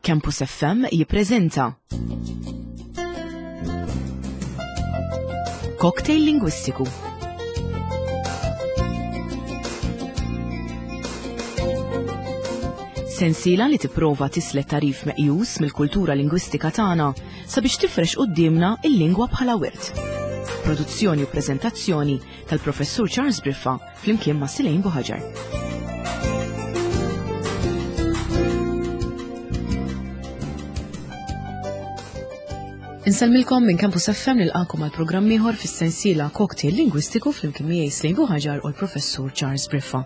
Campus FM jippreżenta Cocktail Lingwistiku. Sensiela li tipprova tislet tarif meqjus mill-kultura lingwistika tagħna sabiex tifrex quddiemna il-lingwa bħala wirt. Produzzjoni u preżentazzjoni tal-Professur Charles Briffa flimkien ma' Silejn Buħaġar. Insellmilkom minn Campus FM nilqakom għal programm ieħor fis-sensiela Cocktail Lingwistiku flimkien miegħi Slejn Buħaġar u l-Professur Charles Briffa.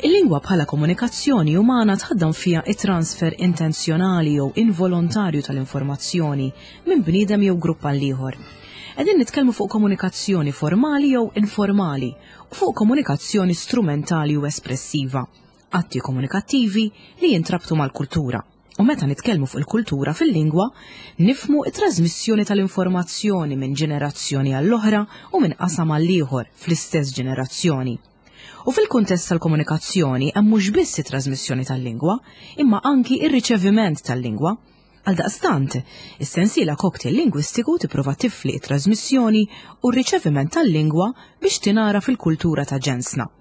Il-lingwa bħala komunikazzjoni umana tħaddam fiha it-transfer intenzjonali jew involontarju tal-informazzjoni minn bniedem jew grupp għal ieħor. Qegħdin nitkellmu fuq komunikazzjoni formali jew informali u fuq komunikazzjoni strumentali u espressiva, atti komunikattivi li jintrabtu mal-kultura. U meta nitkellmu fuq il-kultura fil-lingwa, nifhmu t-trażmissjoni tal-informazzjoni minn ġenerazzjoni għall-oħra u minn qasam għall-ieħor fl-istess ġenerazzjoni. U fil-kuntest tal-komunikazzjoni hemm mhux biss it-trażmissjoni tal-lingwa, imma anki ir-riċeviment tal-lingwa. Għaldaqstant, is-sensiela Cocktail Lingwistiku tipprova tifli t-trażmissjoni u r-riċeviment tal-lingwa biex tingħaraf il-kultura ta' ġensna.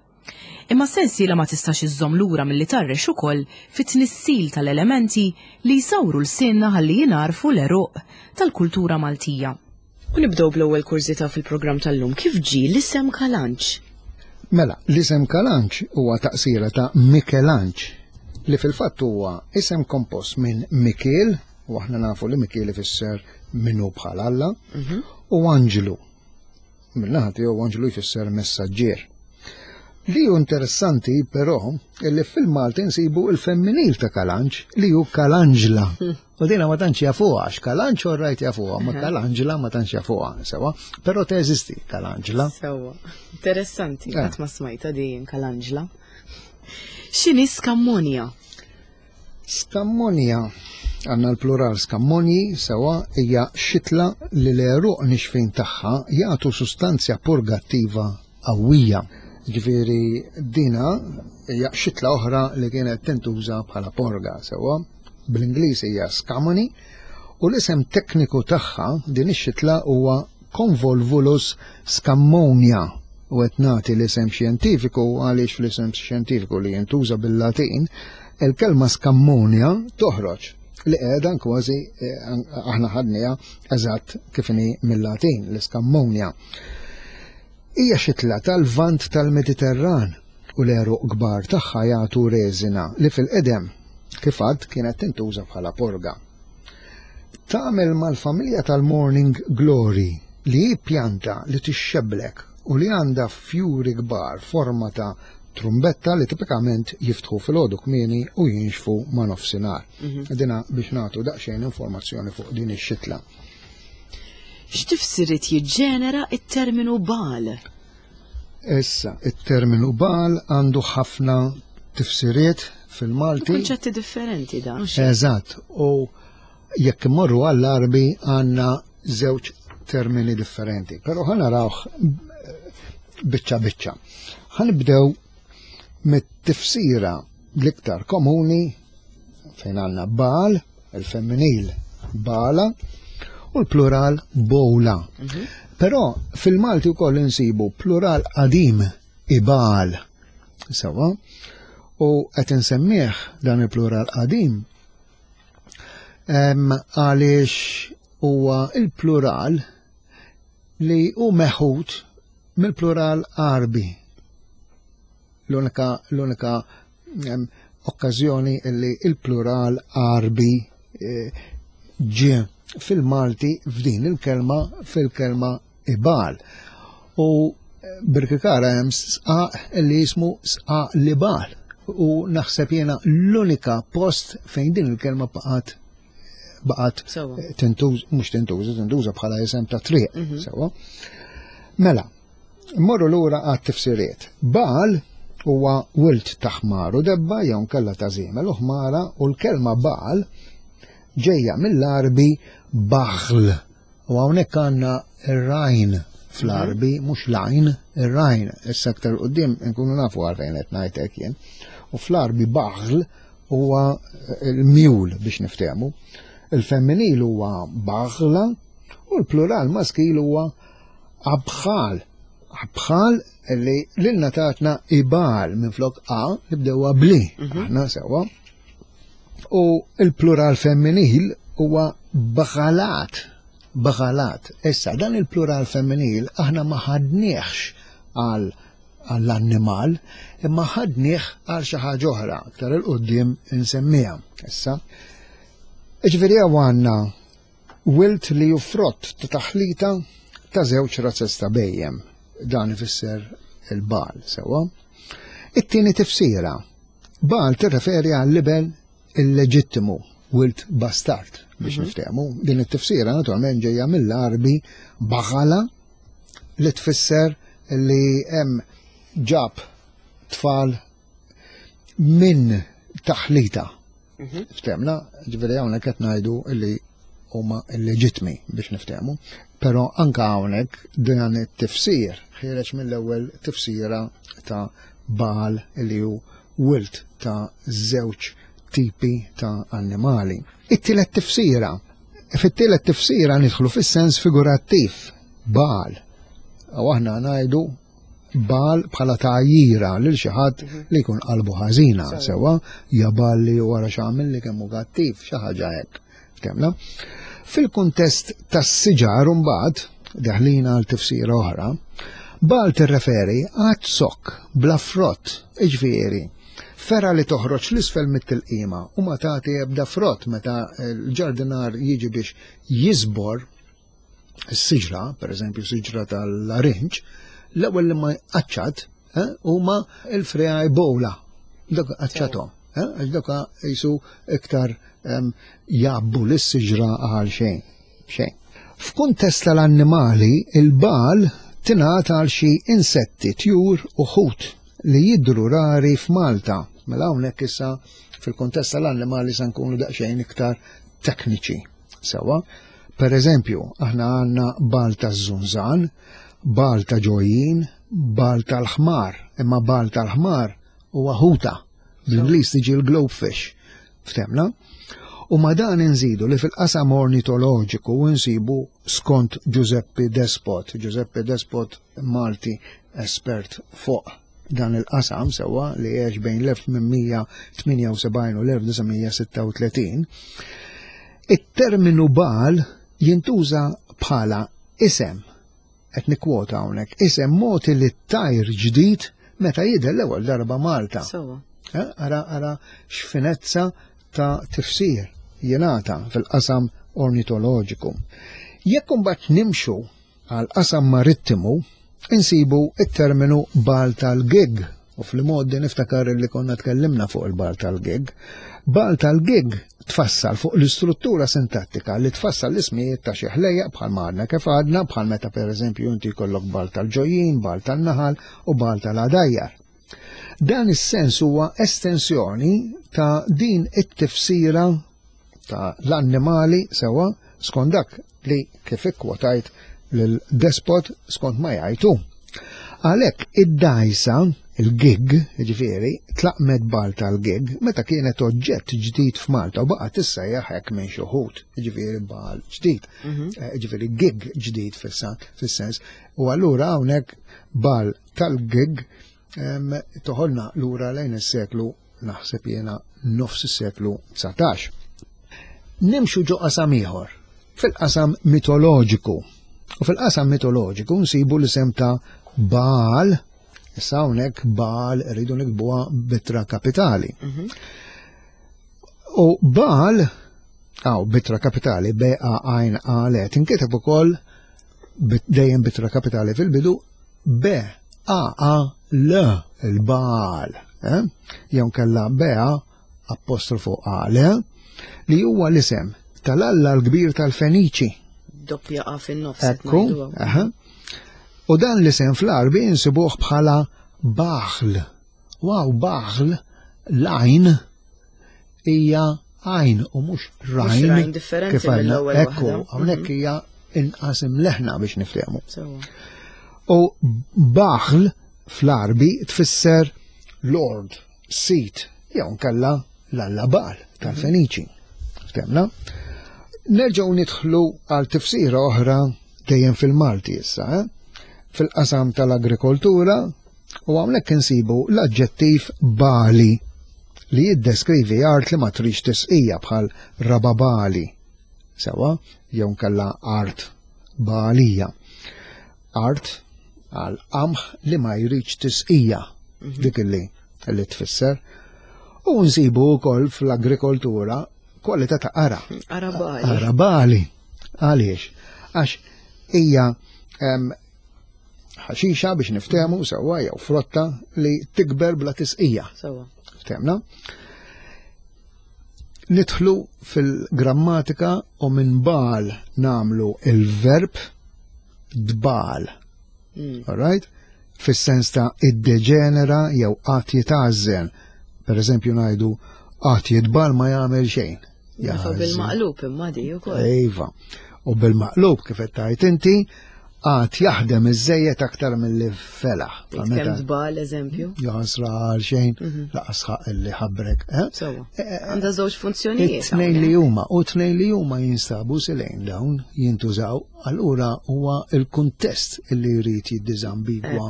Imma s-sensiela ma tistax iżżomm lura milli tgħarrex ukoll fit-tnissil tal-elementi li jsawru lsienna ħalli jingħarfu l-għeruq tal-kultura Maltija. U nibdew bl-ewwel kurżità fil-programm tal-lum, kif ġie l-isem Kalanċ? Mela, l-isem Kalanċ huwa taqsira ta' Mikelanċ, li fil-fatt huwa isem kompost minn Mikiel, u aħna nafu li Mikiel ifisser min hu bħal Alla, mhm. u Anġlu. Min-naħa tiegħu Anġlu jfisser messaġġier. Li hu interessanti però li fil-Malti nsibu il-femminil ta' Kalanġ li hu Kalanġla. U dina ma tantx jafuha, għax Kalanġ orrajt jafuha, ma Kalanġla ma tantx jafuha, sewa. Però teżisti Kalanġla. Sewa. Interessanti, eh. qatt ma smajta din Kalanġla. X'inhi skammonja? Skammonja, għandna l-plural skammonji, sewa, hija xitla li l-għeruq nixfin tagħha jagħtu sustanzja purgattiva qawwija. Ġifieri dina hija xitla oħra li kienet tintuża bħala porga, sewa. Bl-Ingliż hija skamoni u l-isem tekniku tagħha din ix-xitla huwa Convolvulus scammonia u qed nagħti l-isem xjentifiku għaliex fl-isem xjentifiku li jintuża bil-Latin il-kelma scammonia toħroġ li qiegħda kważi eh, aħna ħadniha eżatt kif inhi mill-Latin l-iskammonia. Hija xitla tal-Lvant tal-Mediterran u l-għeruq kbar tagħha jagħtu reżina li fil-qedem kif għad kienet tintuża bħala porga. Tagħmel mal-familja tal-Morning Glory li hi pjanta li tixxebblek u li għandha fjuri kbar forma ta' trumbetta li tipikament jiftħu filgħodu kmieni u jinxfu ma' nofsinhar. Mhm. Dina biex nagħtu daqsxejn informazzjoni fuq din ix-xitla. X'tifsiriet jiġġenera t-terminu Baal? Issa, it-terminu Baal għandu ħafna tifsiriet fil-Malti. Kunċetti differenti dan. Eżatt, u jekk immorru għall-Arbi għandna żewġ termini differenti, però ħa narawh biċċa biċċa. Ħanibdew mit-tifsira l-iktar komuni fejn għandna Baal, il-femminil Bala u l-plural Bowla. Mhm. Però fil-Malti wkoll insibu plural qadim Ibal. Sewa, u qed insemmih dan il-plural qadim għaliex huwa il-plural li hu meħud mill-plural Arbi. L-unika l-unika okkażjoni li il-plural Arbi eh, ġie fil-Malti f'din il-kelma fil-kelma ibal. U eh, Birkikara hemm sqaq li jismu sqaq libal u naħseb jiena l-unika post fejn din il-kelma baqgħet baqgħet tintuż mhux tintuża, tintuża bħala isem ta' triq, mhm. sewwa. Mela, Mmorru lura għat-tifsiriet. Baal huwa wild ta' ħmar u debba jew nkella ta' żiemel u ħmara u l-kelma Baal ġejja mill-Għarbi Baghl. U hawnhekk għandna ir-rajn fl-Għarbi, mhm. mhux l-għajn, ir-rajn. Issa aktar quddiem nkunu nafu għalfejn qed ngħid hekk jien. U fl-Għarbi Baghl huwa l-mule biex niftehmu. Il-femminil huwa baghla u l-plural maskil huwa abħal. Abħal li lilna tatna ibal minn flok a nibdewha bli. Aħna sewwa. U il-plural femminil huwa bagħalat. Bagħalat. Issa dan il-plural femminil aħna ma ħadniex għal għall-annimal, imma ħadnieh għal xi ħaġa oħra, aktar 'il quddiem insemmiha. Issa, ġifieri hawn għandna wilt li hu frott ta' taħlita ta' żewġ razzez ta' bejjem. Dan ifisser il-bal, sewwa. It-tieni tifsira, bal tirreferi għall-libel illeġittimu, wilt bastard biex niftehmu. Din it-tifsira naturalment ġejja mill-Għarbi bagħala li tfisser li hemm ġab tfal minn taħlita. Ftemna, ġifieri hawnhekk qed ngħidu li huma illeġittmi biex niftehmu. Però anka hawnhekk dan it-tifsir ħiereġ mill-ewwel tifsira ta' Baal li hu wilt ta' żewġ tipi ta' annimali. It-tielet tifsira. Fit-tielet tifsira nidħlu fis-sens figurattiv, Baal. U aħna ngħidu Baal bħala tgħajjira lil xi ħadd li jkun qalbu ħażina, sewwa, ja Baal li wara x'għamel li kemm hu kattiv, xi ħaġa hekk. Ftemna? Fil-kuntest tas-siġar imbagħad, deħlin għal tifsira oħra, Baal tirreferi għad zokk bla frott, jiġifieri fergħa li toħroġ l-isfel mit-tilqima u ma tagħti ebda frott meta l-ġardinar jiġi biex jiżbor is-siġra, per eżempju siġra tal-larinġ, l-ewwel li ma jqaċċat eh, huma l-friegħi bowla. Dak qaċċathom, eh, għax dak jisu iktar jgħabbu lis-siġra għal xejn. Xejn. F'kuntest tal-annimali, il-bal tingħata għal xi insetti, tjur u ħut li jidhru rari f'Malta. Mela hawnhekk issa fil-kuntest tal-annimali se nkunu daqsxejn iktar tekniċi. Sewwa, per eżempju, aħna għandna bal taż-żunżan, bal ta' ġojjin, bal tal-ħmar, imma bal tal-ħmar huwa ħuta. Bl-Ingliż tiġi l-globefish. Ftemna? U ma dan inżidu li fil-qasam ornitoloġiku nsibu skont Giuseppe Despot, Giuseppe Despot Malti espert fuq dan il-qasam sewwa li għex bejn l-1878 u l-1936, it-terminu bal jintuża bħala isem, qed nikkwota hawnhekk, isem mogħti lit-tajr ġdid meta jidher l-ewwel darba Malta. Sewwa. Eh, ara ara x'finezza ta' tifsir jingħata fil-qasam ornitoloġiku. Jekk imbagħad nimxu għal qasam marittimu, insibu it-terminu bal tal-gig. U fl-modi niftakar li konna tkellimna fuq il-bal tal-gig. Bal tal-gig tfassal fuq l-istruttura sintattika li tfassal l-ismijiet ta' xi ħlejjaq bħal ma għadna kif għadna, bħal meta pereżempju inti jkollok bal tal-ġojjin, bal tan-naħal u bal tal-għadajjar. Dan is-sens huwa estensjoni ta' din it-tifsira ta' l-annimali sewwa skont dak li kif ikkwotajt lil Despot skont ma jgħid hu. Għalhekk id-dgħajsa, il-gig, jiġifieri, tlaqmet bal tal-gig meta kienet oġġett ġdid f'Malta u baqgħet tissejjaħ hekk minn xi wħud, jiġifieri bal ġdid, jiġifieri gig ġdid fis-sens. U allura hawnhekk bal tal-gig toħolna lura lejn is-seklu naħseb jiena nofs is-seklu 19. Nimxu ġo qasam ieħor, fil-qasam mitoloġiku. U fil-qasam mitoloġiku nsibu l-isem ta' Baal, issa hawnhekk Baal rridu nikbuha bitra kapitali. U Baal, għaw bitra kapitali, B A għajn A L, tinkiteb ukoll dejjem bitra kapitali fil-bidu B A A L, il-Baal, eh? Jew kella B A apostrofu A L, li huwa l-isem tal-Alla l-kbir tal-Feniċi. Doppja A fin-nofs. Ekku, aha. U dan l-isem fl-Għarbi insibuh bħala Baħl. Waw, Baħl, l-għajn hija għajn u mhux rajn. Rajn differenti kif għandna. mill-ewwel Ekku, waħda. hawnhekk hija inqas imleħna biex niftehmu. Sewwa. U Baħl fl-Għarbi tfisser Lord, Sid, jew nkella l-alla Baal tal-Feniċi. Ftemna? Nerġgħu nidħlu għal tifsira oħra dejjem fil-Malti issa, eh? fil-qasam tal-agrikoltura u hawnhekk insibu l-aġġettiv bali li jiddeskrivi art li ma trix tisqija bħal rababali. Sewa, jew nkella art balija. Art għal qamħ li ma jridx tisqija mhm. dik illi li tfisser. U nsibu wkoll fl-agrikoltura kwalità ta' qara. Qara bali. Qara bali. Għaliex? Għax hija ħaxixa biex niftehmu sewwa jew frotta li tikber bla tisqija. Sewwa. Ftehmna? Nidħlu fil-grammatika u minn bal namlu il-verb dbal. All right? Fis-sens ta' iddeġenera jew qatt jitgħażżen. Per eżempju ngħidu qatt jitbal ma jagħmel xejn. Iva bil-maqlub imma di wkoll. Iva. U bil-maqlub kif qed tgħid inti, għad jaħdem iżejjed aktar milli felaħ. Kemm tbal eżempju. Jaħsra għal xejn, mhm. laqas ħaq illi ħabrek. Eh? Sewa. Eh, eh, Għandha żewġ funzjonijiet. Tnejn li huma u tnejn li huma jinstabu silejn dawn jintużaw, allura huwa il-kuntest illi jrid jiddiżambigwa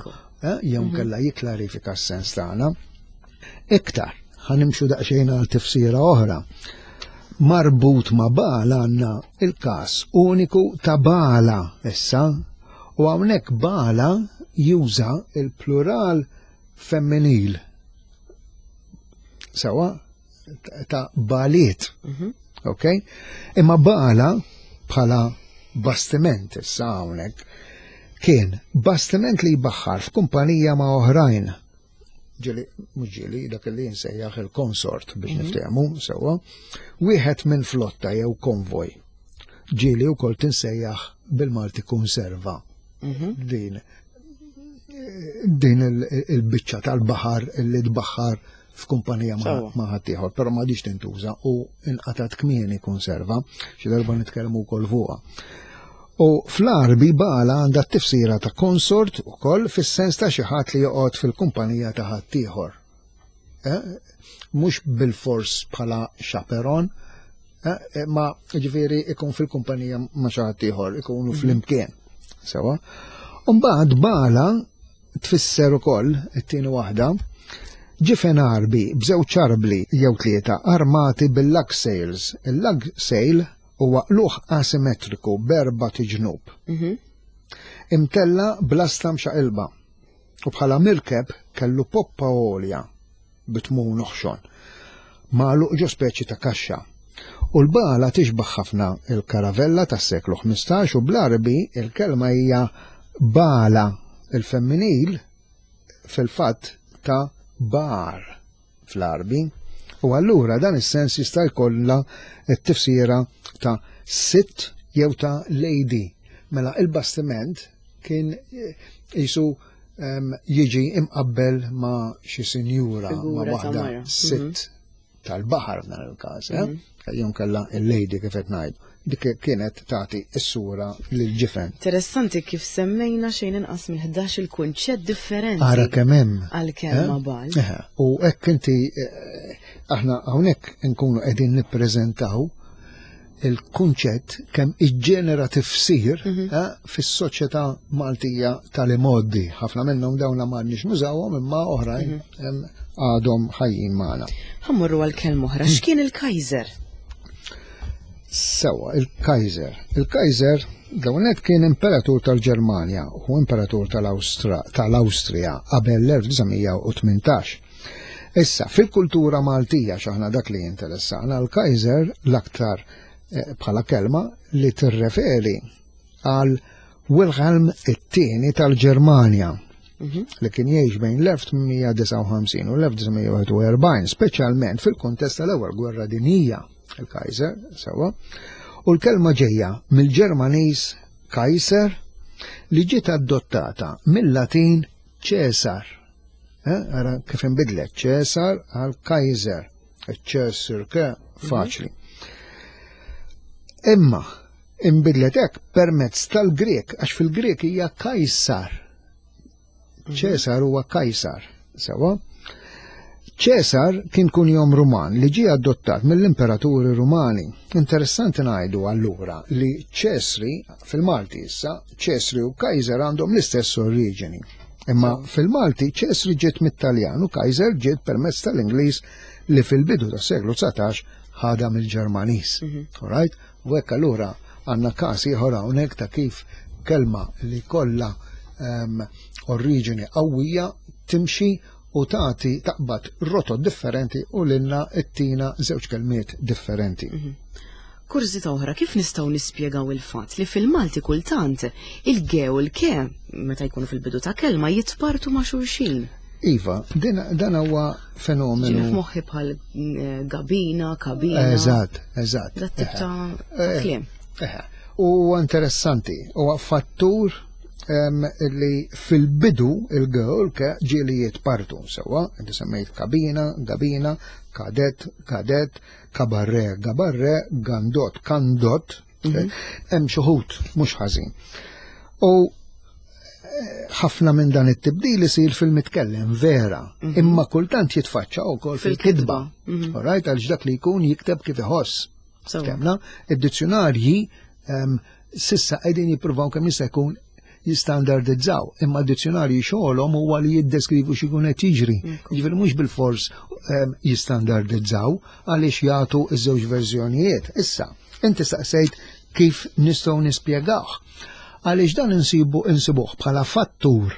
jew mhm. kellha jikklarifika s-sens tagħna. Iktar, ħanimxu daqsxejn għal tifsira oħra. Marbut ma' bala għandna il-każ uniku ta' bala issa, u hawnhekk bala juża il-plural femminil. Sewa ta' baliet. Mhm. Ok? Imma bala bħala bastiment issa hawnhekk kien bastiment li jbaħħar f'kumpanija ma' oħrajn ġili, mhux ġili, dak li jinsejjaħ il-konsort biex mhm. niftehmu sewwa, wieħed minn flotta jew konvoj. Ġili wkoll tinsejjaħ bil-Malti konserva. Mhm. Din din il-biċċa tal-baħar li tbaħħar f'kumpanija ma' ħaddieħor, però ma diċ tintuża u inqatat kmieni konserva, xi darba nitkellmu wkoll fuqha. U fl-Għarbi bala għandha t-tifsira ta' konsort ukoll fis-sens ta' xi ħadd li joqgħod fil-kumpanija ta' ħaddieħor. Eh? Mhux bilfors bħala chaperon, eh? eh ma ġifieri ikun fil-kumpanija ma' xi ħadd ieħor, ikunu mhm. flimkien. Sewa. Mbagħad bala tfisser ukoll it-tieni waħda ġifen Għarbi b'żewġ arbli jew tlieta armati bil-lug sails. Il-lug sail Huwa qlugħ asimetriku b'erbat iġnub. Mhm. Imtella' b'lasta mxaqilba u bħala mirkeb kellu poppa għolja bi tmun oħxon, magħluq ġo speċi ta' kaxxa. U l-bagħla tixbah ħafna il-karavella tas-seklu 15 u bl-Għarbi il-kelma hija bagħla, il-femminil fil-fatt ta' bagħar. fl-Għarbi, u allura dan is-sens jista' jkollha t-tifsira ta' sitt jew ta' lady. Mela il-bastiment kien jisu jiġi imqabbel ma' xi sinjura, ma' waħda mhm. sitt tal-baħar f'dan il-każ, eh? mhm. Jew kella il-lady kif qed ngħidu. Dik kienet tagħti s-sura lil ġifen. Interessanti kif semmejna xejn inqas minn 11 il-kunċett differenti. Ara kemm hemm. Għal-kelma eh? bal. Eh, u hekk inti eh, aħna hawnhekk nkunu qegħdin nippreżentaw il-kunċett kemm iġġenera tifsir mhm. fis-soċjetà Maltija tal-imoddi. Ħafna minnhom dawn m'għandniex nużawhom imma oħrajn mhm. għadhom ħajjin magħna. Ħammorru għal kelma oħra. X'kien il-Kaiser? Sewa, il-Kaiser. Il-Kaiser dawnet kien imperatur tal-Ġermanja u imperatur tal-Awstrija qabel l-1918. Issa, fil-kultura Maltija xaħna dak li jinteressana, l-Kaiser l-aktar eh, bħala kelma li tirreferi għal Wilhelm it-tieni tal-Ġermanja mhm. li kien jgħix bejn l-1859 u l-1941, speċjalment fil-kuntest tal-Ewwel Gwerra Dinjija, il-Kaiser, sewa, u l-kelma ġejja mill-Ġermaniż Kaiser li ġiet adottata mill-Latin Ċesar. Eh, ara kif inbidlet Ċesar għal Kaiser. Ċesar ke faċli. Imma Inbidlet hekk permezz tal-Grieg, għax fil-Grieg hija Kajsar. Mhm. Ċesar huwa Kajsar, sewa. Ċesar kien kunjom Ruman li ġie adottat mill-imperaturi Rumani. Interessanti ngħidu allura li Ċesri, fil-Malti issa, Ċesri u Kaiser għandhom l-istess oriġini. Imma fil-Malti Ċesri ġiet mit-Taljan u Kaiser ġiet permezz tal-Ingliż li fil-bidu tas-seklu 19 ħadha mill-Ġermaniż. Alright? U hekk allura għandna każ ieħor hawnhekk ta' kif kelma li kollha oriġini qawwija timxi u tagħti taqbad rotot differenti u lilna ttina żewġ kelmiet differenti. Kurżità oħra, kif nistgħu nispjegaw il-fatt li fil-Malti kultant il-ge u l-ke meta jkunu fil-bidu ta' kelma jitpartu ma' xulxin? Iva, dan huwa fenomenu. Ġieli f'moħħi bħal eh, gabina, kabina. Eżatt, eżatt. Dat tip ta' eh, kliem. Eh, u interessanti, huwa fattur li fil-bidu il-girl ke ġieli jitpartu sewa, inti semmejt kabina, gabina, kadet, kadet, kabarre, gabarre, gandot, kandot, mhm. hemm xi mhux ħażin. U eh, ħafna minn dan it-tibdil isir fil-mitkellem vera, mhm. imma kultant jitfaċċa wkoll fil-kitba. Mhm. Alright, għaliex dak li jkun jikteb kif iħoss. Kemna, id-dizzjonarji sissa qegħdin jippruvaw kemm jista' jkun jistandardizzaw, imma d-dizzjonarji xogħolhom huwa li jiddeskrivu x'ikun qed jiġri. Jiġifieri mhux bil-fors jistandardizzaw għaliex jagħtu ż-żewġ verżjonijiet. Issa, inti staqsejt kif nistgħu nispjegawh. Għaliex dan insibu insibuh bħala fattur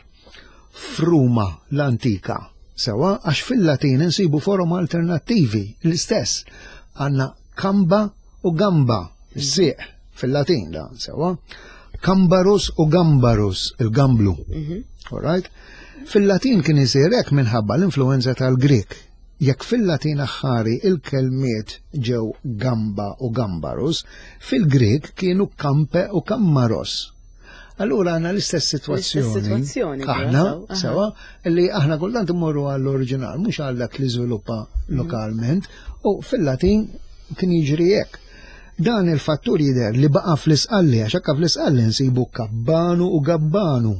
f'Ruma l-antika. Sewa, għax fil-Latin insibu forom alternattivi l-istess. Għandna kamba u gamba, is-sieq fil-Latin da, sewa. Kambarus u gambarus, il-gamblu. Mhm. All right? Fil-Latin kien isir hekk minħabba l-influenza tal-Grek. Jekk fil-Latin aħħari il-kelmiet ġew gamba u gambarus, fil-Grek kienu kampe u kammaros. Allura għandna l-istess sitwazzjoni. Aħna, sewa, li aħna kultant immorru għall-oriġinal, mhux għal dak li żviluppa mhm. lokalment, u fil-Latin kien jiġri hekk. Dan il-fattur jidher li baqa' fl-isqalli, għax hekk fl-isqalli nsibu kabbanu u gabbanu.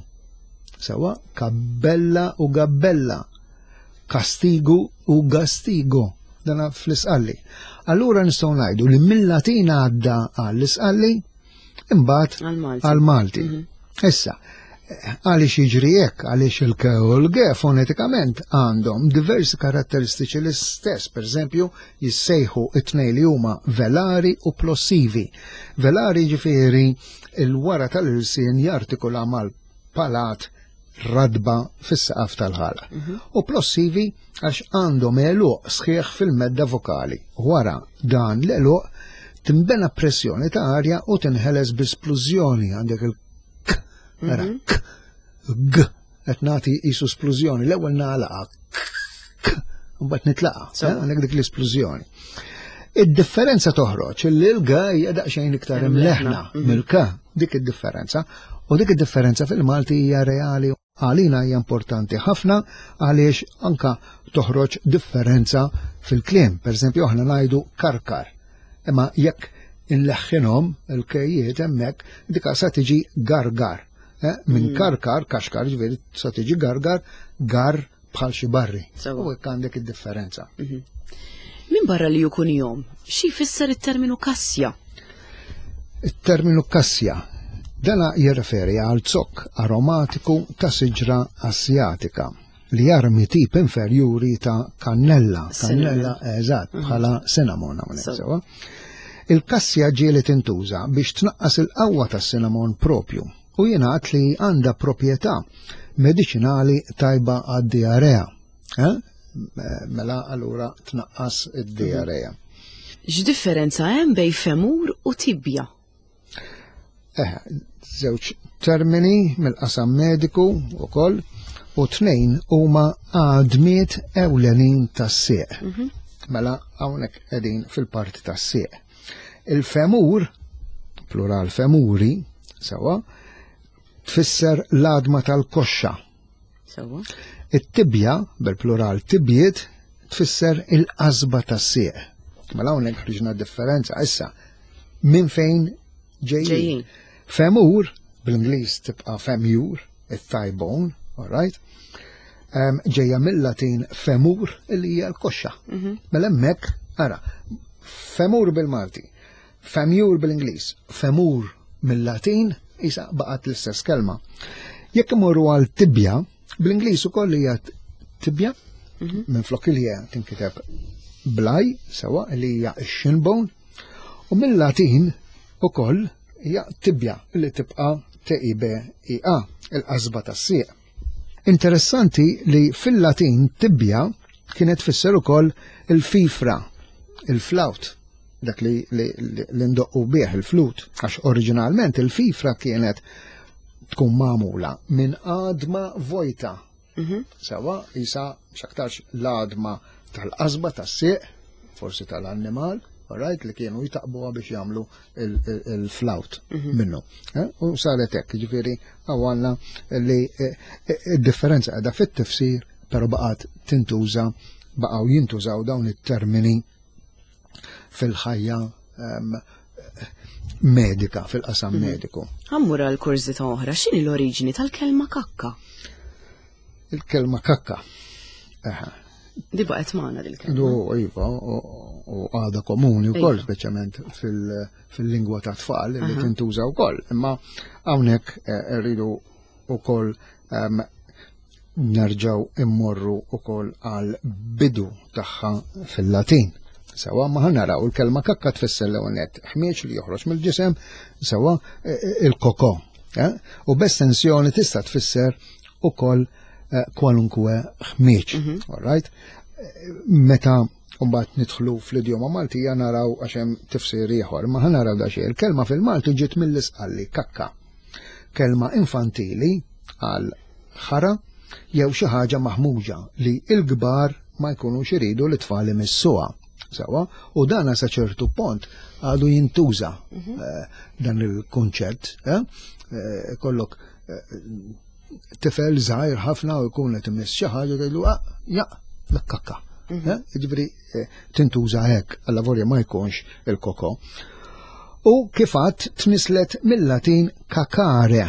Sewa, kabbella u gabbella. Kastigu u gastigo. Dana fl-isqalli. Allura nistgħu ngħidu li mill-Latin għadda għall-isqalli imbagħad għall-Malti. Mhm. Issa, għaliex jiġri hekk, għaliex il-k u l-g fonetikament għandhom diversi karatteristiċi l-istess, per eżempju, jissejħu it-tnej li huma velari u plossivi. Velari ġifieri il-wara tal-ilsien jartikula mal-palat radba fis-saqaf tal-ħalq. Mhm. U plossivi għax għandhom għeluq sħiħ fil-medda vokali. Wara dan l-għeluq timbena pressjoni ta' arja u tinħeles bi splużjoni għandek il-k, ara mhm. k, g, qed nagħti qisu splużjoni, l-ewwel nagħlaqa k, mbagħad nitlaqa, eh, għandek dik l-isplużjoni. Id-differenza toħroġ li l-g hija daqsxejn iktar imleħna mhm. mill-k, dik id-differenza, u dik id-differenza fil-Malti hija reali għalina hija importanti ħafna għaliex anka toħroġ differenza fil-kliem. Per eżempju, aħna ngħidu karkar. Imma jekk inleħħinhom il-kejjiet hemmhekk dika sa tiġi gargar. Eh, minn mm. karkar, kaxkar, ġifieri sa tiġi gargar, gar bħal xi barri. U hekk għandek id-differenza. Mhm. Min barra li jkun jom, xi jfisser it-terminu kassja? It-terminu kassja dana jirreferi għal zokk aromatiku ta' siġra asjatika li jarmi tip inferjuri ta' kannella, kannella eżatt mhm. bħala cinnamon hawnhekk sewa. Il-kassja ġieli tintuża biex tnaqqas il-qawwa tas-cinnamon propju u jingħad li għandha proprjetà mediċinali tajba għad-diarrea. Eh? Mela allura tnaqqas id-diarrea. X'differenza hemm bejn femur u tibja? Eh, żewġ termini mill-qasam mediku ukoll u tnejn huma għadmiet ewlenin tas-sieq. Mhm. Mela hawnhekk qegħdin fil-parti tas-sieq. Il-femur, plural femuri, sewa, tfisser l-għadma tal-koxxa. Sewa. It-tibja, bil-plural tibjiet, tfisser il-qasba tas-sieq. Mela hawnhekk ħriġna differenza issa minn fejn ġejjin. Femur, bl-Ingliż tibqa' femur, it-thigh bone, all right? Ġejja mill-Latin femur li hija l-koxxa. Mela hemmhekk, ara, femur bil-Malti, femur bil-Ingliż, femur mill-Latin, isa baqgħet l-istess kelma. Jekk imorru għal tibja, bl-Ingliż ukoll hija tibja, minn flok il tinkiteb blaj, sewa li hija x-shinbone, u mill-Latin ukoll hija tibja li tibqa' T-I-B-I-A, il-qasba tas-sieq. Interessanti li fil-Latin tibja kienet tfisser ukoll il-fifra, il-flawt, dak li, li, li ndoqqu bih il-flut, għax oriġinalment il-fifra kienet tkun magħmula minn għadma vojta. Sewa, isa x'aktarx l-għadma tal-qasba tas-sieq, forsi tal-annimal, right, li kienu jtaqbuha biex jagħmlu il-flawt minnu. Eh? U saret hekk, ġifieri għandna li eh, eh, id-differenza qiegħda fit-tifsir, però baqgħet tintuża, baqgħu jintużaw dawn it-termini fil-ħajja ehm, medika, fil-qasam mediku. Ħammur għal kurżità oħra, x'inhi l-oriġini tal-kelma kakka? Il-kelma kakka. Eħe. Di baqgħet magħna dil-kelma. Du, iva, u għada komuni wkoll, speċjalment fil-lingwa ta' tfal li tintuża wkoll. Imma hawnhekk eh, rridu wkoll ehm, nerġgħu immorru wkoll għal bidu tagħha fil-Latin. Sewa ma naraw il-kelma kakka tfisser l net ħmieġ li joħroġ mill-ġisem, sewa eh, eh, il-koko. U b'estensjoni tista' tfisser ukoll eh, kwalunkwe ħmieġ. All right? Meta mbagħad nidħlu fl-idjoma Maltija naraw għax hemm tifsir ieħor, ma ħa naraw da xejn. Il-kelma fil-Malti ġiet mill-isqalli kakka. Kelma infantili għal ħara jew xi ħaġa maħmuġa li l-kbar ma jkunux iridu li tfal imissuha. Sewa, u dana sa ċertu pont għadu jintuża eh, dan il-kunċett. Eh? Eh, kollok tifel żgħir ħafna u jkun qed imiss xi ħaġa tgħidlu ah, ja, l-kakka. Eh, Jiġifieri eh, tintuża hekk, alla volja ma jkunx il-koko. U kif għadt tnislet mill-Latin kakare.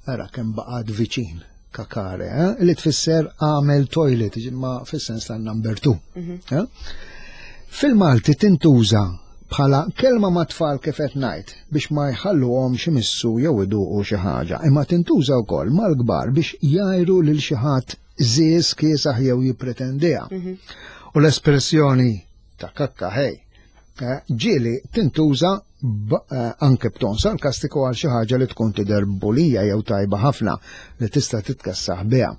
Ara kemm baqgħet viċin kakare, eh, li tfisser għamel toilet, ma fis-sens ta' number 2. Eh? Fil-Malti tintuża bħala kelma ma' tfal kif qed ngħid biex ma jħalluhomx imissu jew iduqu xi ħaġa, imma tintuża wkoll mal-kbar biex jgħajru lil xi ħadd żież kiesaħ jew jippretendiha. U l-espressjoni ta' kakka ħej eh, ġieli tintuża eh, anke b'ton sarkastiku għal xi ħaġa li tkun tidher bulija jew tajba ħafna li tista' titkessaħ biha.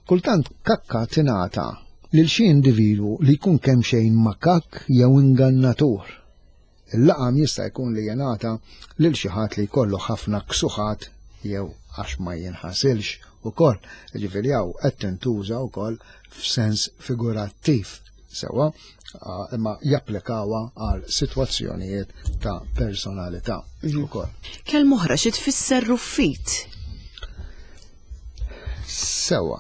Kultant kakka tingħata lil xi individwu li jkun kemxejn makakk jew ingannatur. Il-laqam jista' jkun li jingħata lil xi ħadd li jkollu ħafna ksuħat jew għax ma jinħasilx ukoll. Jiġifieri hawn qed tintuża wkoll f'sens figurattiv sewwa, imma japplikawha għal sitwazzjonijiet ta' personalità ukoll. Kelma oħra xi tfisser ruffit? Sewwa,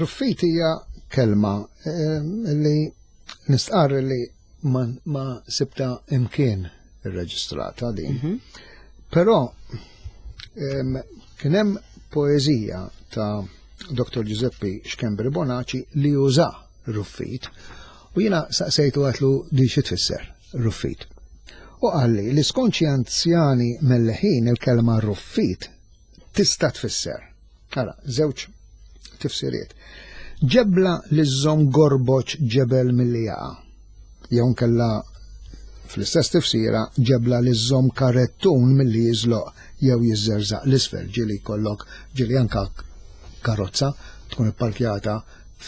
ruffit hija kelma eh, li nistqarr li ma, ma sibta imkien irreġistrata din. Però kien hemm poeżija ta' Dr. Giuseppe Schembri Bonaci li uża ruffit u jiena saqsejtu għatlu di xi tfisser ruffit. U qalli li skont xi anzjani melleħin il-kelma ruffit tista' tfisser. Ara, żewġ tifsiriet. Ġebla li żżomm gorboċ ġebel milli jaqa'. Jew nkella fl-istess tifsira ġebla li żżomm karettun milli jiżloq jew jiżżerżaq l-isfel ġieli jkollok ġieli anka karozza tkun ipparkjata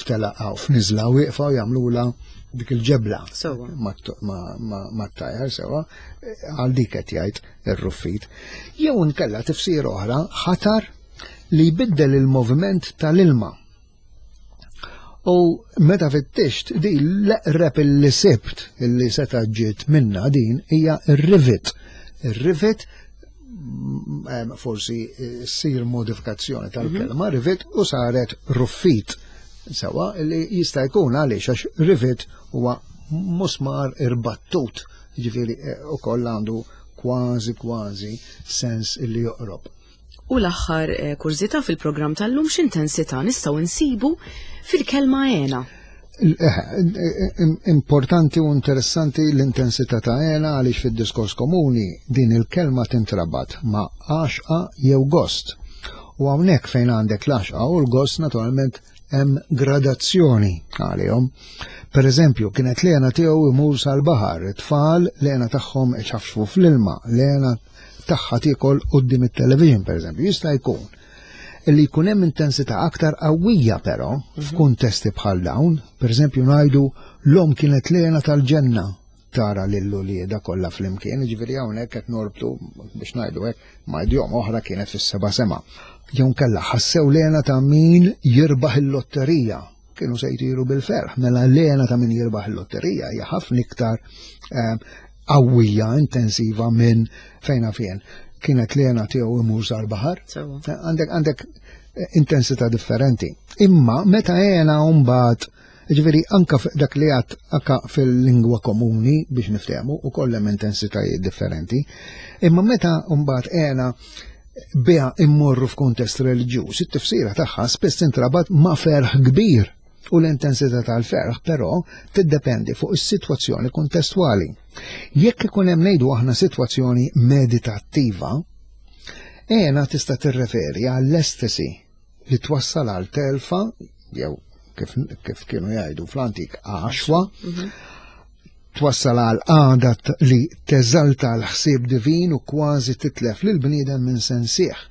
f'telaqa u f'niżla wieqfa u jagħmlula dik il-ġebla mat-tajer sewa għal dik qed jgħid ir-ruffit. Jew inkella tifsira oħra ħatar li jbiddel il-moviment tal-ilma. U meta fittixt di l-eqreb illi sibt illi seta' ġiet minna din hija r-rivet. Ir-rivet mm, forsi eh, ssir modifikazzjoni tal-kelma mhm. rivet u saret ruffit. Sewa li jista' jkun għaliex għax rivet huwa musmar irbattut, ġifieri eh, ukoll għandu kważi kważi sens illi joqrob. U l-aħħar eh, kurżità fil-programm tal-lum x'intensità nistgħu nsibu fil-kelma għena. Eh, importanti u interessanti l-intensità ta' għena għaliex fid-diskors komuni din il-kelma tintrabat ma' għaxqa jew gost. U hawnhekk fejn għandek l-għaxqa u l-gost naturalment hemm gradazzjoni għalihom. Per eżempju, kienet l-għena tiegħu imur sal-baħar, it-tfal l-għena tagħhom iċafxfu fl-ilma, l-għena tagħha tiekol quddiem it-television pereżempju. Jista' jkun li jkun hemm intensità aktar qawwija però mhm. f'kuntesti bħal dawn, pereżempju ngħidu l-om kienet lena tal-ġenna tara lil ulieda kollha flimkien, jiġifieri hawnhekk qed norbtu biex ngħidu hekk ma' idjom oħra kienet fis-seba' sema. Jew kellha ħassew lena ta' min jirbaħ il-lotterija kienu se jtiru bil-ferħ, mela l-għena ta' min jirbaħ il-lotterija hija ħafna iktar eh, qawwija, intensiva minn fejna fien. Kienet l-għena tiegħu imur sal-baħar. Eh, għandek għandek eh, intensità differenti. Imma meta għena mbagħad Ġifieri anka dak li għat anka fil-lingwa komuni biex niftehmu u kollem intensitajiet differenti. Imma meta mbagħad għena biha immorru f'kuntest reliġjuż, it-tifsira tagħha spiss tintrabat ma' ferħ kbir u l-intensità tal-ferħ però tiddependi fuq is-sitwazzjoni kuntestwali. Jekk ikun hemm ngħidu aħna sitwazzjoni meditattiva, għena tista' tirreferi għall-estasi li twassal għal telfa jew kif, kif kienu jgħidu fl-antik għaxwa, mhm. twassal għal għada li teżalta l-ħsieb divin u kważi titlef lil bniedem minn sensieħ.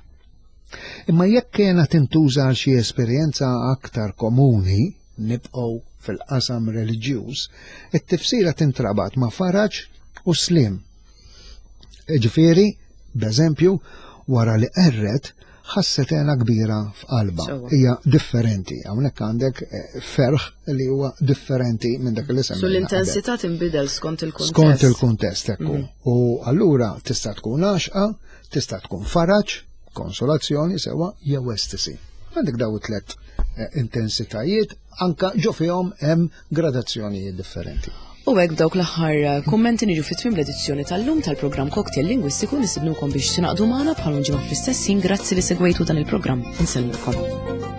Imma jekk kena tintuża għal xi esperjenza aktar komuni, nibqgħu fil-qasam reliġjuż, it-tifsira tintrabat ma' faraġ u slim. Ġifieri, b'eżempju, wara li qerret, ħasset hena kbira f'qalba. Hija differenti. Hawnhekk għandek eh, ferħ li huwa differenti minn dak li semmi. So l-intensità tinbidel skont il-kuntest. Skont il-kuntest ekku. Mhm. U allura tista' tkun għaxqa, tista' tkun faraġ, konsolazzjoni sewa jew estisi. Għandek daw it-tlet eh, intensitajiet anka ġo fihom hemm gradazzjonijiet differenti. U hekk b'dawk l-aħħar eh, kummenti niġu fit-tmiem l-edizzjoni tal-lum tal-programm Cocktail Lingwistiku nistidnukom biex tingħaqdu magħna bħal ġimgħa fl-istess ħin grazzi li segwejtu dan il-programm. Insellmilkom.